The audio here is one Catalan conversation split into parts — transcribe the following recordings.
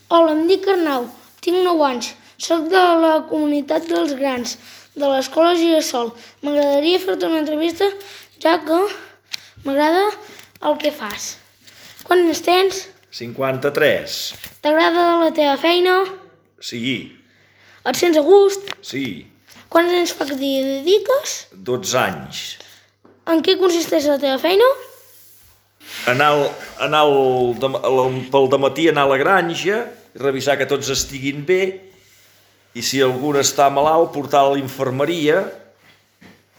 Hola, em dic Arnau, tinc 9 anys, soc de la comunitat dels grans, de l'escola Girasol. M'agradaria fer-te una entrevista, ja que m'agrada el que fas. Quants anys tens? 53. T'agrada la teva feina? Sí, Et sents a gust? sí. Quants anys fa que t'hi dediques? 12 anys. En què consisteix la teva feina? Pel dematí anar a la granja, revisar que tots estiguin bé i si algú està malalt portar a la infermeria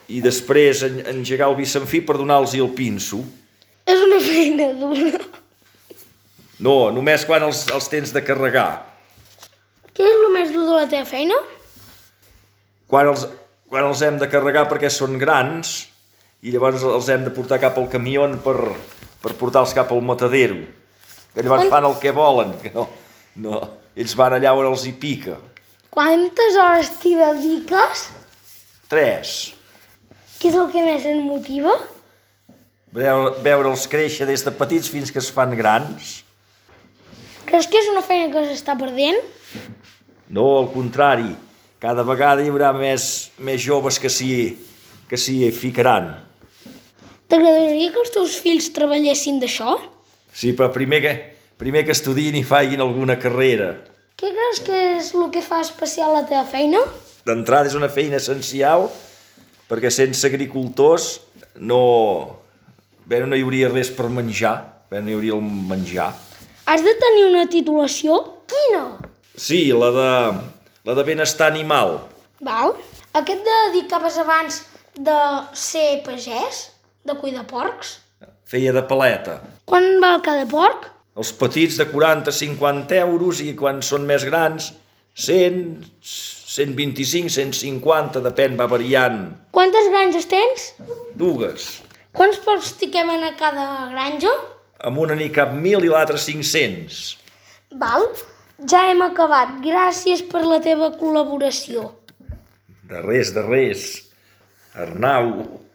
i després engegar el bicenfí per donar-los el pinso. És una feina dura. No, només quan els tens de carregar. Què és el més dur de la teva feina? Quan els hem de carregar perquè són grans i llavors els hem de portar cap al camió per portar-los cap al matadero. Que llavors fan el que volen, que no. Ells van allà on els hi pica. Quantes hores t'hi dediques? 3. Què és el que més et motiva? Veure'ls créixer des de petits fins que es fan grans. Creus que és una feina que s'està perdent? No, al contrari. Cada vegada hi haurà més joves que s'hi ficaran. T'agradaria que els teus fills treballessin d'això? Sí, però primer que estudien i facin alguna carrera. Què creus que és el que fa especial la teva feina? D'entrada és una feina essencial perquè sense agricultors no hi hauria res per menjar, no hi hauria el menjar. Has de tenir una titulació? Quina? Sí, la de benestar animal. Val. A què et dedicaves abans de ser pagès? De cuidar porcs? Feia de paleta. Quan val cada porc? Els petits de 40-50 euros i quan són més grans 100, 125, 150, depèn, va variant. Quantes granges tens? 2. Quants porcs t'hi quemen a cada granja? Amb una n'hi cap 1.000 i l'altra 500. Val. Ja hem acabat. Gràcies per la teva col·laboració. De res. Arnau.